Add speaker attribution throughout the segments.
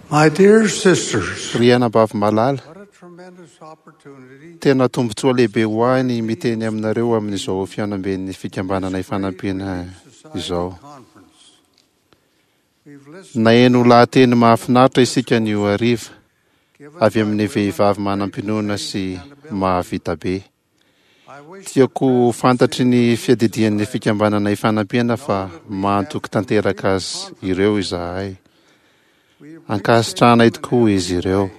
Speaker 1: My dear sisters,
Speaker 2: Ry anabavy malala,
Speaker 1: what a tremendous opportunity
Speaker 2: tena tombontsoa lehibe ho ahy ny miteny aminareo amin'izao fihaonamben'ny fikambanana ifanampiana izao.
Speaker 1: conference. We've listened
Speaker 2: Naheno lahateny mahafinaritra isika anio hariva
Speaker 1: given
Speaker 2: avy amin'ny vehivavy manam-pinoana sy mahavita be.
Speaker 1: I wish
Speaker 2: Tiako ho fantatry ny fiadidian'ny fikambanana ifanampiana fa mahatoky tanteraka azy ireo izahay.
Speaker 1: we
Speaker 2: Ankasitrahanay tokoa izy ireo.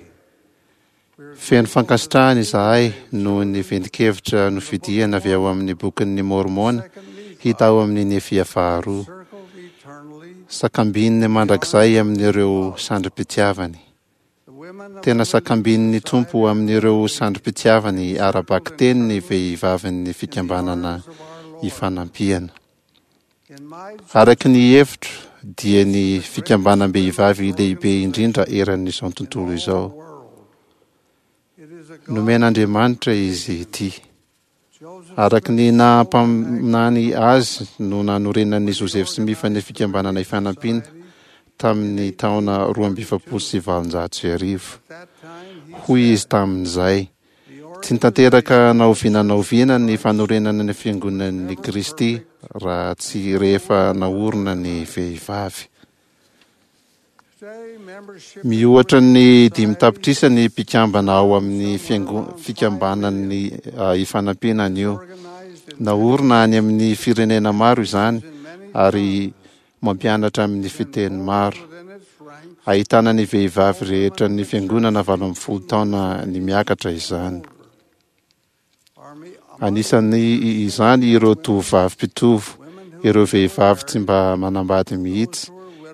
Speaker 2: Feno fankasitrahana izahay noho ny ventin-kevitra nofidiana avy ao amin'ny bokin'ny Môrmôna hita ao amin'ny Nefia faharoa.
Speaker 1: circled eternally
Speaker 2: Sakambininy mandrakizay amin'ireo sandrim-pitiavany.
Speaker 1: the women of
Speaker 2: Tena sakambin'ny Tompo amin'ireo sandrim-pitiavany ara-bakiteny ny vehivavin'ny fikambanana ifanampiana.
Speaker 1: in my
Speaker 2: Araka ny hevitro dia ny fikambanam-behivavy lehibe indrindra eran'izao tontolo izao.
Speaker 1: world. It is a God
Speaker 2: Nomen'Andriamanitra izy ity.
Speaker 1: Joseph
Speaker 2: Araka ny nahampaminany azy no nanorenan'i Joseph Smith ny fikambanana ifanampiana tamin'ny taona 1842.
Speaker 1: at that time he
Speaker 2: Hoy izy tamin'izay,
Speaker 1: the
Speaker 2: tsy nitanteraka na oviana na oviana ny fanorenana ny fiangonan'i Kristy raha tsy rehefa naorina ny vehivavy.
Speaker 1: today membership
Speaker 2: Mihoatra ny 5 tapitrisa ny mpikambana ao amin'ny fikambanan'ny ifanampiana anio.
Speaker 1: organized in
Speaker 2: Naorina any amin'ny firenena maro izany ary mampianatra amin'ny fiteny maro.
Speaker 1: within its ranks
Speaker 2: Ahitana ny vehivavy rehetra ny fiangonana 18 taona ny miakatra izany.
Speaker 1: army
Speaker 2: Anisan'ny izany ireo tovovavy mpitovo, ireo vehivavy tsy mba manambady mihitsy,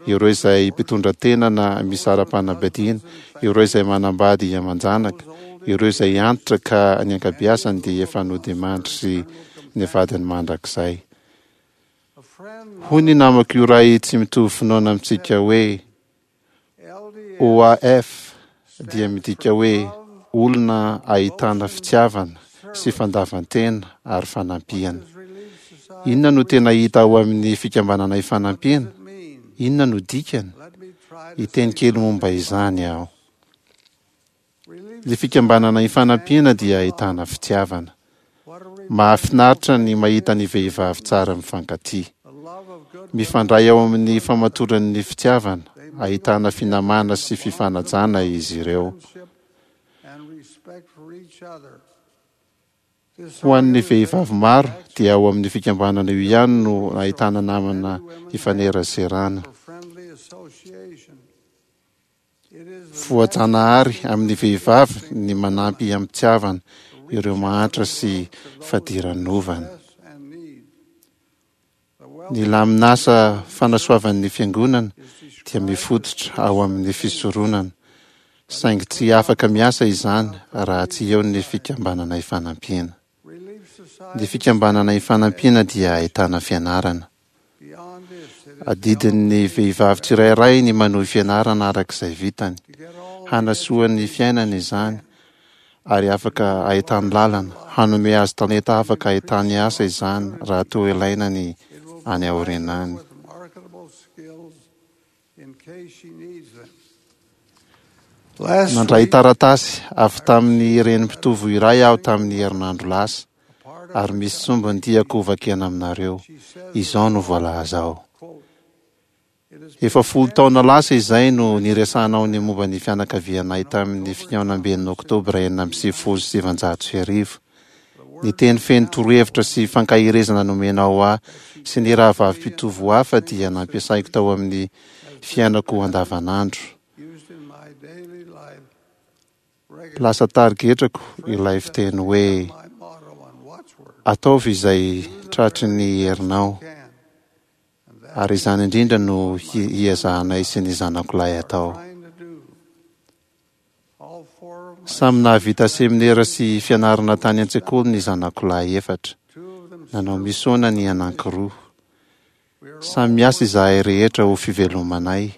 Speaker 2: ireo izay mpitondra tena na misara-panambadiana, ireo izay manambady aman-janaka, ireo izay antitra ka ny ankabeazany dia efa nodimandry sy ny vadiny mandrakizay.
Speaker 1: a friend
Speaker 2: Hoy ny namako iray tsy mitovy finoana amintsika hoe
Speaker 1: LDS
Speaker 2: OAF dia midika hoe olona ahitana fitiavana sy fandavan-tena ary fanampiana.
Speaker 1: is Relief Society
Speaker 2: Inona no tena hita ao amin'ny fikambanana ifanampiana?
Speaker 1: mean?
Speaker 2: Inona no dikany?
Speaker 1: Let me try to
Speaker 2: Hiteny kely momba izany aho.
Speaker 1: Relief
Speaker 2: Ny fikambanana ifanampiana dia ahitana fitiavana.
Speaker 1: what a re-
Speaker 2: Mahafinaritra ny mahita ny vehivavy tsara mifankatia.
Speaker 1: the love of good
Speaker 2: Mifandray ao amin'ny famatoran'ny fitiavana, ahitana finamana sy fifanajana izy ireo.
Speaker 1: friendship and respect for each other. This
Speaker 2: Ho an'ny vehivavy maro dia ao amin'ny fikambanana io ihany no ahitana namana ifaneraserana.
Speaker 1: for friendly association. It is the
Speaker 2: Voajanahary amin'ny vehivavy ny manampy am-pitiavana ireo mahantra sy fadiranovana.
Speaker 1: best and need. The wealth
Speaker 2: Ny laminasa fanasoavan'ny fiangonana dia mifototra ao amin'ny fisoronana, saingy tsy afaka miasa izany raha tsy eo ny fikambanana ifanampiana.
Speaker 1: Relief Society
Speaker 2: Ny fikambanana ifanampiana dia ahitana fianarana.
Speaker 1: beyond this it is
Speaker 2: Adidin'ny vehivavy tsirairay ny manohy fianarana araka izay vitany.
Speaker 1: to get all
Speaker 2: Hanasoa ny fiainany izany ary afaka ahitany lalana, hanome azy talenta afaka ahitany asa izany raha toa ilaina ny any aoriana any.
Speaker 1: with marketable skills in case she needs them. Last
Speaker 2: Nandray
Speaker 1: week,
Speaker 2: taratasy avy tamin'ny reny mpitovo iray aho tamin'ny herinandro lasa
Speaker 1: part of
Speaker 2: ary misy sombiny tiako hovakiana aminareo.
Speaker 1: she says,
Speaker 2: Izao no voalaza ao.
Speaker 1: quote, It is
Speaker 2: Efa 10 taona lasa izay no niresahanao ny momba ny fianakavianay tamin'ny fihaonamben'ny Oktobra 1996. Ny teny feno torohevitra sy fankaherezana nomenao ahy sy ny rahavavy mpitovo hafa dia nampiasaiko tao amin'ny fiainako andavanandro.
Speaker 1: used in my daily life.
Speaker 2: Lasa tarigetrako ilay fiteny hoe
Speaker 1: My motto and watchword
Speaker 2: ataovy izay tratry ny herinao
Speaker 1: can. And that
Speaker 2: ary izany indrindra no hiezahanay sy ny zanako lahy atao.
Speaker 1: trying to do. All four of my
Speaker 2: Samy nahavita seminera sy fianarana tany an-tsekoly ny zanako lahy efatra.
Speaker 1: two of them
Speaker 2: Nanao misona ny anankiroa.
Speaker 1: we are all
Speaker 2: Samy miasa izahay rehetra ho fivelomanay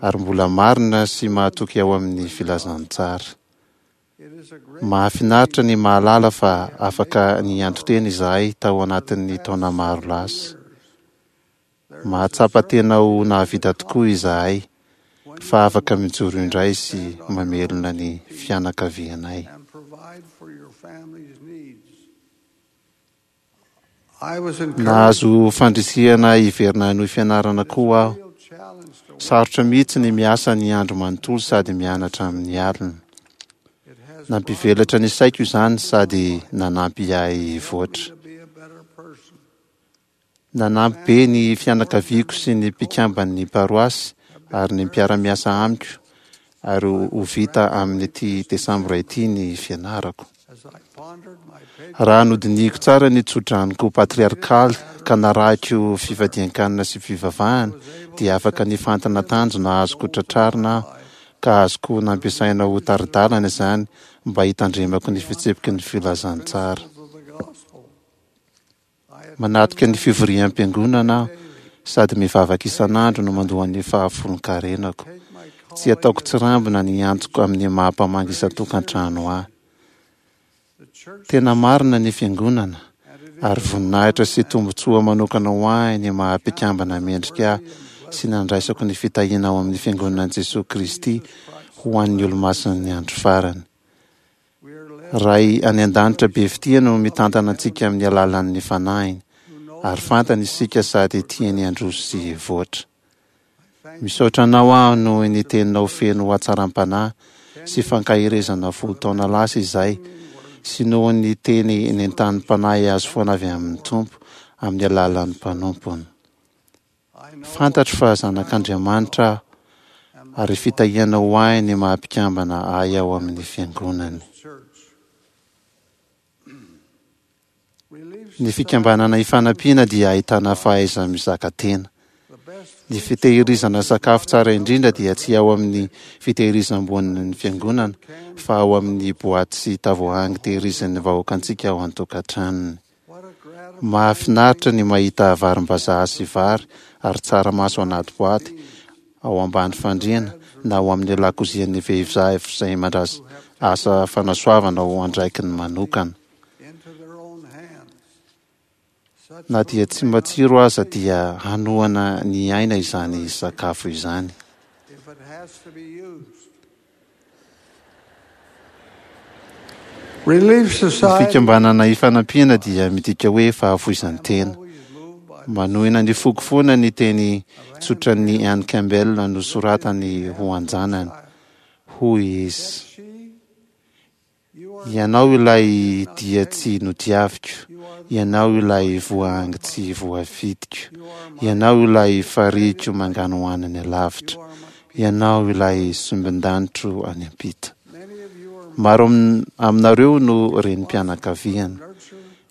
Speaker 2: ary mbola marina sy mahatoky ao amin'ny filazantsara.
Speaker 1: it is a great
Speaker 2: Mahafinaritra ny mahalala fa afaka nianto-tena izahay tao anatin'ny taona maro lasa. Mahatsapa tena ho nahavita tokoa izahay. fa afaka mijoro indray sy mamelona ny fianakavianay. Nahazo fandrisihana hiverina hanohy fianarana koa aho. Sarotra mihitsy ny miasa ny andro manontolo sady mianatra amin'ny alina. Nampivelatra ny saiko izany sady nanampy ahy hivoatra. Nanampy be ny fianakaviako sy ny mpikamban'ny paroasy ary ny mpiara-miasa amiko ary ho vita amin'ity desambra ity ny fianarako. Raha nodinihiko tsara ny tsodranoko patriarkaly ka narahiko fifadian-kanina sy fivavahana dia afaka nifantina tanjona azoko tratrarina aho ka azoko nampiasaina ho tari-dalana izany mba hitandremako ny fitsipiky ny filazantsara. Manatrika ny fivoriam-piangonana aho sady mivavaka isan'andro no mandoa ny fahafolon-karenako. Tsy ataoko tsirambina ny antsoko amin'ny maha mpamangy isan-tokantrano ahy. Tena marina ny Fiangonana, ary voninahitra sy tombontsoa manokana ho ahy ny maha mpikambana mendrika ahy sy nandraisako ny fitahiana ao amin'ny Fiangonan'i Jesoa Kristy ho an'ny Olomasin'ny Andro Farany. Ray any An-danitra be fitia no mitantana antsika amin'ny alalan'ny Fanahiny, ary fantany isika sady tiany handroso sy hivoatra. Misaotra Anao aho noho ny teninao feno hatsaram-panahy sy fankaherezana folo taona lasa izay, sy noho ny teny nentanim-panahy azo foana avy amin'ny Tompo amin'ny alalan'ny mpanompony. Fantatro fa zanak'Andriamanitra aho ary fitahiana ho ahy ny maha-mpikambana ahy ao amin'ny Fiangonany. Ny fikambanana ifanampiana dia ahitana fahaiza-mizaka tena. Ny fitehirizana sakafo tsara indrindra dia tsy ao amin'ny fitehirizam-bonin'ny Fiangonana fa ao amin'ny boaty sy tavoahangy tehirizin'ny vahoakantsika ao an-tokantranony. Mahafinaritra ny mahita varim-bazaha sy vary ary tsaramaso anaty boaty ao ambany fandriana na ao amin'ny lakozian'ny vehivzavy izay mandray asa fanasoavana ho andraikiny manokana. Na dia tsy matsiro aza dia hanohana ny aina izany sakafo izany. Ny fikambanana ifanampiana dia midika hoe fahafoizan-tena. Manohina ny foko foana ny teny tsotran'i Ann Campbell nosoratany ho an-janany. Hoy izy, Ianao ilay dia tsy notiaviko, ianao ilay voahangy tsy voafidiko, ianao ilay farihiko manganohano any alavitra. Ianao ilay sombin-danitro any am-pita. Maro aminareo no renim-pianakaviana.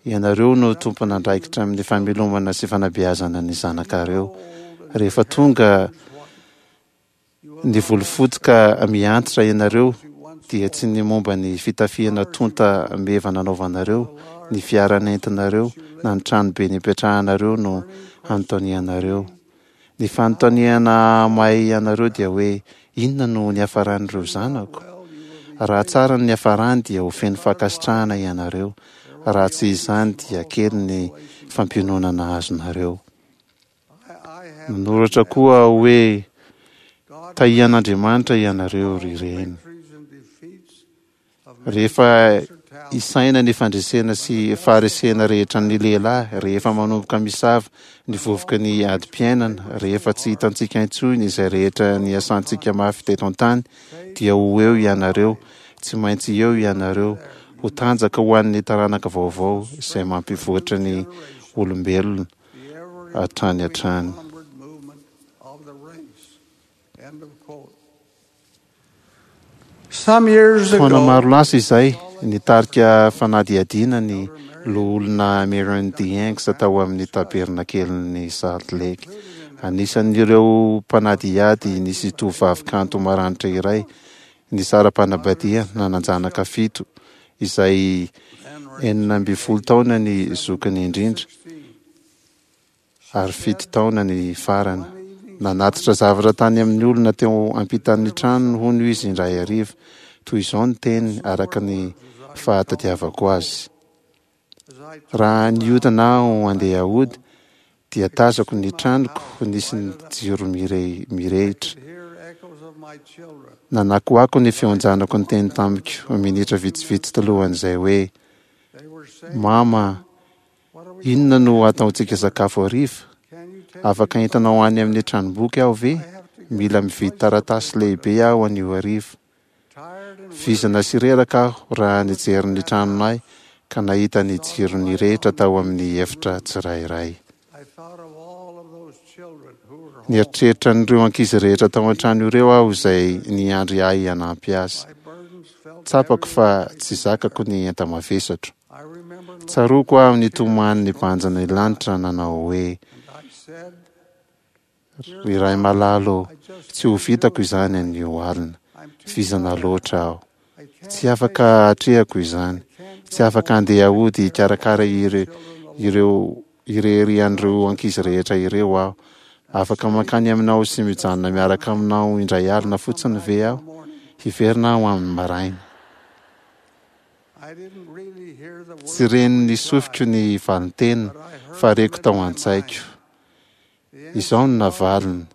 Speaker 2: Ianareo no tompon'andraikitra amin'ny famelomana sy fanabeazana ny zanakareo. Rehefa tonga ny volofotsy ka miantitra ianareo dia tsy ny momba ny fitafiana tonta meva nanaovanareo, ny fiara nentinareo na ny tranobe nipetrahanareo no hanontanianareo. Ny fanontaniana mahay anareo dia hoe, Inona no niafaran'ireo zanako? Raha tsara ny niafarany dia ho feno fankasitrahana ianareo, raha tsy izany dia kely ny fampiononana azonareo. Nanoratra koa aho hoe, Tahian'Andriamanitra ianareo ry reny. Rehefa isaina ny fandresena sy faharesena rehetran'ny lehilahy, rehefa manomboka misava ny vovoky ny adim-piainana, rehefa tsy hitantsika intsony izay rehetra niasantsika mafy teto an-tany, dia ho eo ianareo, tsy maintsy eo ianareo, ho tanjaka ho an'ny taranaka vaovao izay mampivoatra ny olombelona hatrany hatrany. Taona maro lasa izay, nitarika fanadihadiana ny Loholona Myron D. Hanks tao amin'ny Tabernakelin'i Salt Lake. Anisan'ireo mpanadihady nisy tovovavy kanto maranitra iray nisara-panambadiana nanan-janaka fito, izay 16 taona ny zokiny indrindra. ary fito taona ny farany. Nanatitra zavatra tany amin'ny olona teo ampitan'ny tranony hono izy indray hariva. Toy izao ny teniny araka ny fahatadiavako azy, Raha nihodina aho handeha hody, dia tazako ny tranoko nisy ny jiro mirehitra. Nanakoako ny feon-janako niteny tamiko minitra vitsivitsy talohan'izay hoe, Mama, inona no hataontsika sakafo hariva? Afaka entinao any amin'ny tranomboky aho ve? Mila mividy taratasy lehibe aho anio hariva. Vizana sy reraka aho raha nijery ny tranonay ka nahita ny jiro nirehitra tao amin'ny efitra tsirairay. Nieritreritra an'ireo ankizy rehetra tao an-trano ireo aho izay niandry ahy hanampy azy. Tsapako fa tsy zakako ny enta-mavesatro. Tsaroako aho nitomany nibanjina ny lanitra nanao hoe, Ry Ray malala ô, tsy ho vitako izany anio alina. Vizana loatra aho. Tsy afaka atrehako izany. Tsy afaka handeha hody hikarakara ireo irery an'ireo ankizy rehetra ireo aho. Afaka mankany aminao sy mijanona miaraka aminao indray alina fotsiny ve aho? Hiverina aho amin'ny maraina. Tsy ren'ny sofiko ny valin-teniny fa reko tao an-tsaiko. Izao no navaliny,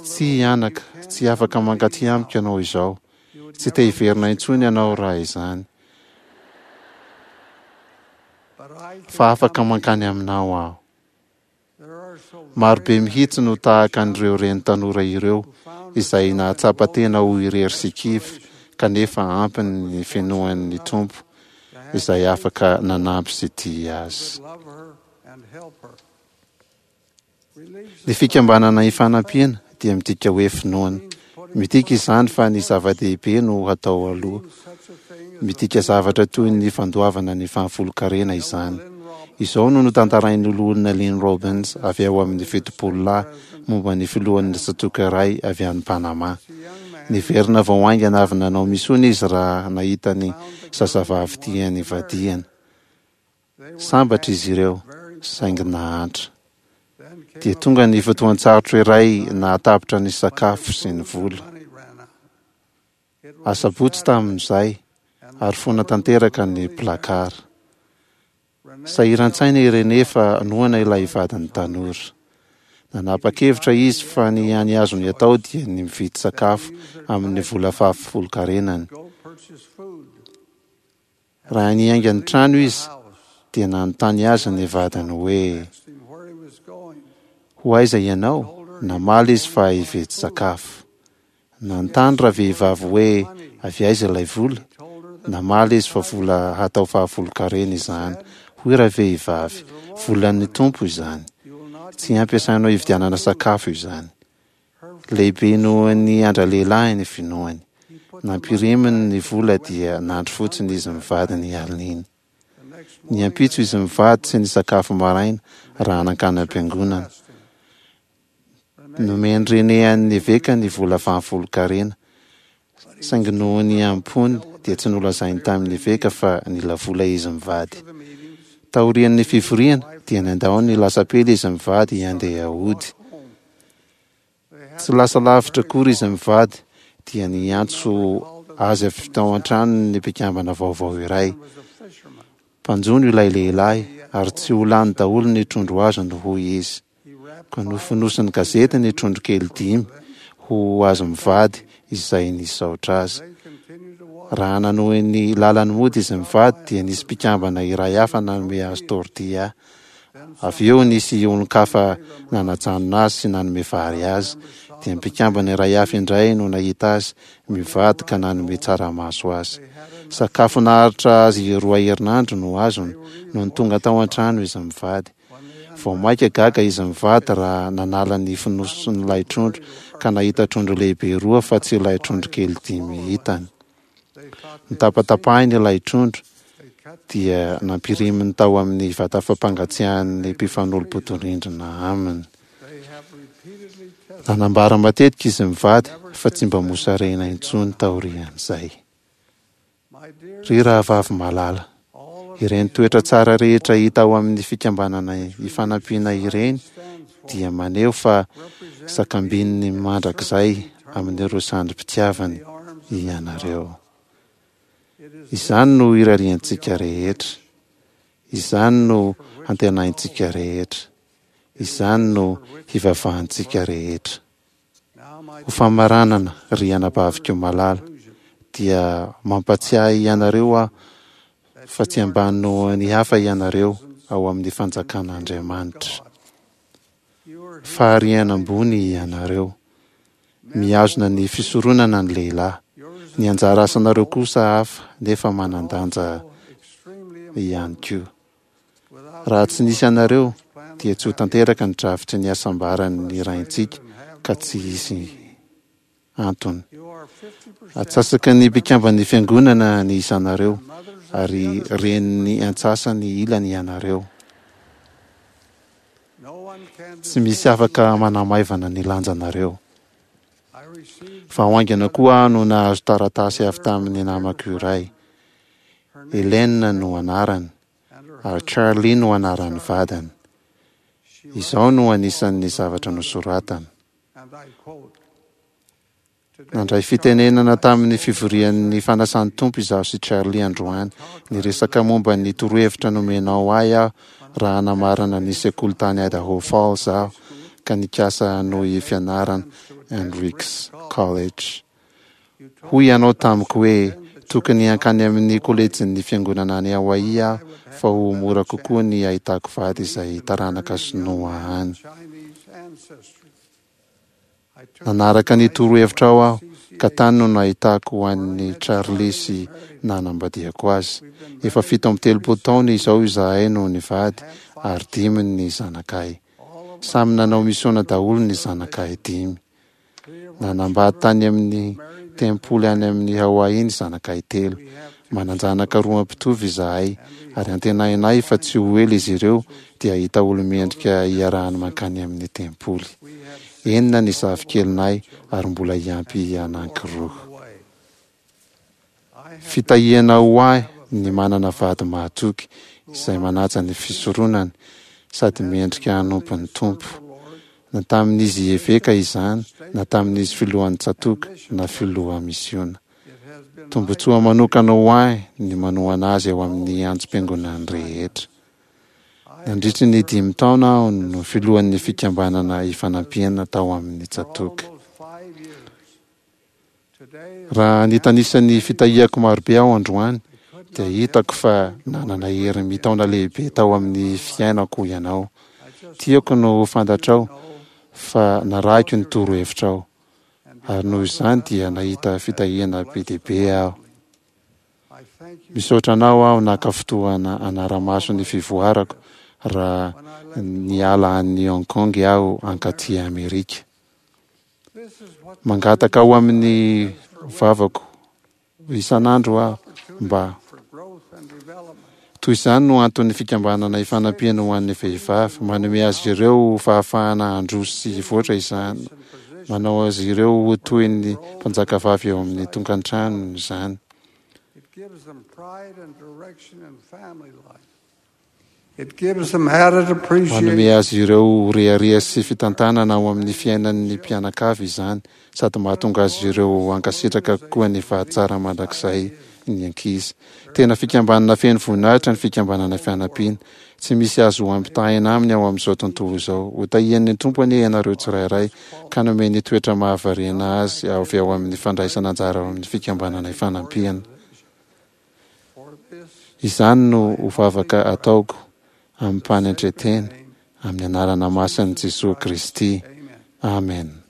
Speaker 2: Tsia anaka, tsy afaka mankaty amiko ianao izao. Tsy te hiverina intsony ianao raha izany. Fa afaka mankany aminao aho. Maro be mihitsy no tahaka an'ireo reny tanora ireo, izay nahatsapa tena ho irery sy kivy, kanefa ampy ny finoany ny Tompo, izay afaka nanampy sy tia azy. Ny fikambanana ifanampiana dia midika hoe finoana. Midika izany fa ny zava-dehibe no hatao aloha. Midika zavatra toy ny fandoavana ny fahafolonkarena izany. Izao no notantarain'ny Loholona Lynn Robbins avy ao amin'ny Fitopololahy momba ny filohan'ny tsatòka iray avy any Panama. Niverina vao haingana avy nanao misiona izy raha nahita ny zazavavy tiany vadiana. Sambatra izy ireo, saingy nahantra. Dia tonga ny fotoan-tsarotra iray nahatapitra ny sakafo sy ny vola. Asabotsy tamin'izay, ary foana tanteraka ny placard. Sahiran-tsaina i René fa noana ilay vadiny tanora. Nanapa-kevitra izy fa ny hany azony atao dia ny mividy sakafo amin'ny vola fahafolonkarenany. Raha niainga ny trano izy, dia nanontany azy ny vadiny hoe, Ho aiza ianao? Namaly izy fa hividy sakafo. Nanontany ravehivavy hoe avy aiza ilay vola? Namaly izy fa vola hatao fahafolonkarena izany. Hoy ravehivavy, Volan'ny Tompo izany. Tsy hampiasainao hividianana sakafo izany. Lehibe noho ny an-dralehilahy ny finoany. Nampiriminy ny vola dia nandry fotsiny izy mivady ny alin'iny. Ny ampitso izy mivady tsy nisakafo maraina raha nankany am-piangonana. Nomen'i René an'ny eveka ny vola fahafolonkarena, saingy noho ny am-pony dia tsy nolazainy tamin'ny eveka fa nila vola izy mivady. Taorian'ny fivoriana dia nandao ny lasapely izy mivady handeha hody. Tsy lasa lavitra akory izy mivady dia niantso azy avy tao an-tranony ny mpikambana vaovao iray. Mpanjono ilay lehilahy ary tsy ho lany daholo ny trondro azony hoy izy. Koa nofonosiny gazety ny trondro kely dimy ho azy mivady izay nisaotra azy. Raha nanohy ny lalany mody izy mivady dia nisy mpikambana iray hafa nanome azy tortilla. Avy eo nisy olon-kafa nanajanona azy sy nanome vary azy. Dia mpikambana iray hafa indray no nahita azy mivady ka nanome tsaramaso azy. Sakafo naharitra azy roa herinandro no azony nony tonga tao an-trano izy mivady. Vao mainka gaga izy mivady raha nanala ny fonosin'ilay trondro ka nahita trondro lehibe roa fa tsy ilay trondro kely dimy hitany. Notapatapahiny ilay trondro dia nampiriminy tao amin'ny vata fampangatsiahan'ny mpifanolo-bodirindrina aminy. Nanambara matetika izy mivady fa tsy mba mosarena intsony taorian'izay. Ry rahavavy malala, ireny toetra tsara rehetra hita ao amin'ny Fikambanana Ifanampiana ireny dia maneho fa sakambininy mandrakizay amin'ireo sandrim-pitiavany ianareo. Izany no irariantsika rehetra. Izany no antenaintsika rehetra. Izany no hivavahantsika rehetra. Ho famaranana, ry anabaviko malala, dia mampatsiahy anareo aho fa tsy ambany noho ny hafa ianareo ao amin'ny fanjakan'Andriamanitra. Fahariana ambony ianareo. Mihazona ny fisoronana ny lehilahy. Ny anjara asanareo kosa hafa nefa manan-danja ihany koa. Raha tsy nisy anareo dia tsy ho tanteraka ny drafitry ny hasambaran'ny Raintsika ka tsy hisy antony. Atsasaky ny mpikamban'ny Fiangonana ny isanareo ary renin'ny antsasany ilany ianareo. Tsy misy afaka manamaivana ny lanjanareo. Vao haingana koa aho no nahazo taratasy avy tamin'ny namako iray. Helen no anarany, ary Charlie no anaran'ny vadiny. Izao no anisan'ny zavatra nosoratany. Nandray fitenenana tamin'ny fivorian'ny fanasan'ny Tompo izaho sy Charlie androany. Niresaka momba ny torohevitra nomenao ahy aho raha namarana ny sekoly tany Idaho Falls aho ka nikasa hanohy fianarana Hendricks College. Hoy ianao tamiko hoe tokony hankany amin'ny kolejin'ny fiangonana any Hawaii aho fa ho mora kokoa ny hahitako vady izay taranaka sinoa any. Nanaraka ny torohevitrao aho ka tany no nahitako an'i Charlie sy nanambadiako azy. Efa 37 taona izao izahay no nivady ary dimy ny zanakay. Samy nanao misiona daholo ny zanakay dimy. Nanambady tany amin'ny tempoly any amin'ny Hawaii ny zanakay telo. Manan-janaka roa mpitovy izahay, ary antenainay fa tsy ho ela izy ireo dia hahita olo-mendrika hiarahany mankany amin'ny tempoly. Enina ny zafikelinay ary mbola hiampy anankiroa. Fitahiana ho ahy ny manana vady mahatoky izay manaja ny fisoronany sady mendrika hanompo ny Tompo, na tamin'izy eveka izany na tamin'izy filohan'ny tsatòka na filoha misiona. Tombontsoa manokana ho ahy ny manohana azy eo amin'ny antsom-piangonany rehetra. Nandritry ny dimy taona aho no filohan'ny Fikambanana Ifanampiana tao amin'ny tsatòka. Raha nitanisa ny fitahiako marobe aho androany, dia hitako fa nanana hery mitaona lehibe tao amin'ny fiainako ianao. Tiako no ho fantatrao fa narahiko ny torohevitrao, ary noho izany dia nahita fitahiana be dia be aho. Misaotra anao aho naka fotoana hanara-maso ny fivoarako raha niala an'i Hong Kong aho hankaty Amerika. Mangataka ao amin'ny vavako isan'andro aho mba. Toy izany no anton'ny fikambanana Ifanampiana ho an'ny Vehivavy, manome azy ireo fahafahana handroso sy hivoatra izany, manao azy ireo ho toy ny mpanjakavavy eo amin'ny tokantranony izany. Manome azy ireo ho rehareha sy fitantanana ao amin'ny fiainan'ny mpianakavy izany, sady mahatonga azy ireo hankasitraka kokoa ny fahatsara mandrakizay ny ankizy. Tena fikambanana feno voninahitra ny Fikambanana Fianampiana. Tsy misy azo ampitahaina aminy ao amin'izao tontolo izao. Hotahian'ny Tompo anie ianareo tsirairay, ka nomeny toetra mahavariana azy avy ao amin'ny fandraisana anjara ao amin'ny Fikambanana Ifanampiana. Izany no ho vavaka ataoko amim-panetren-tena, amin'ny anarana masin'i Jesoa Kristy. Amen.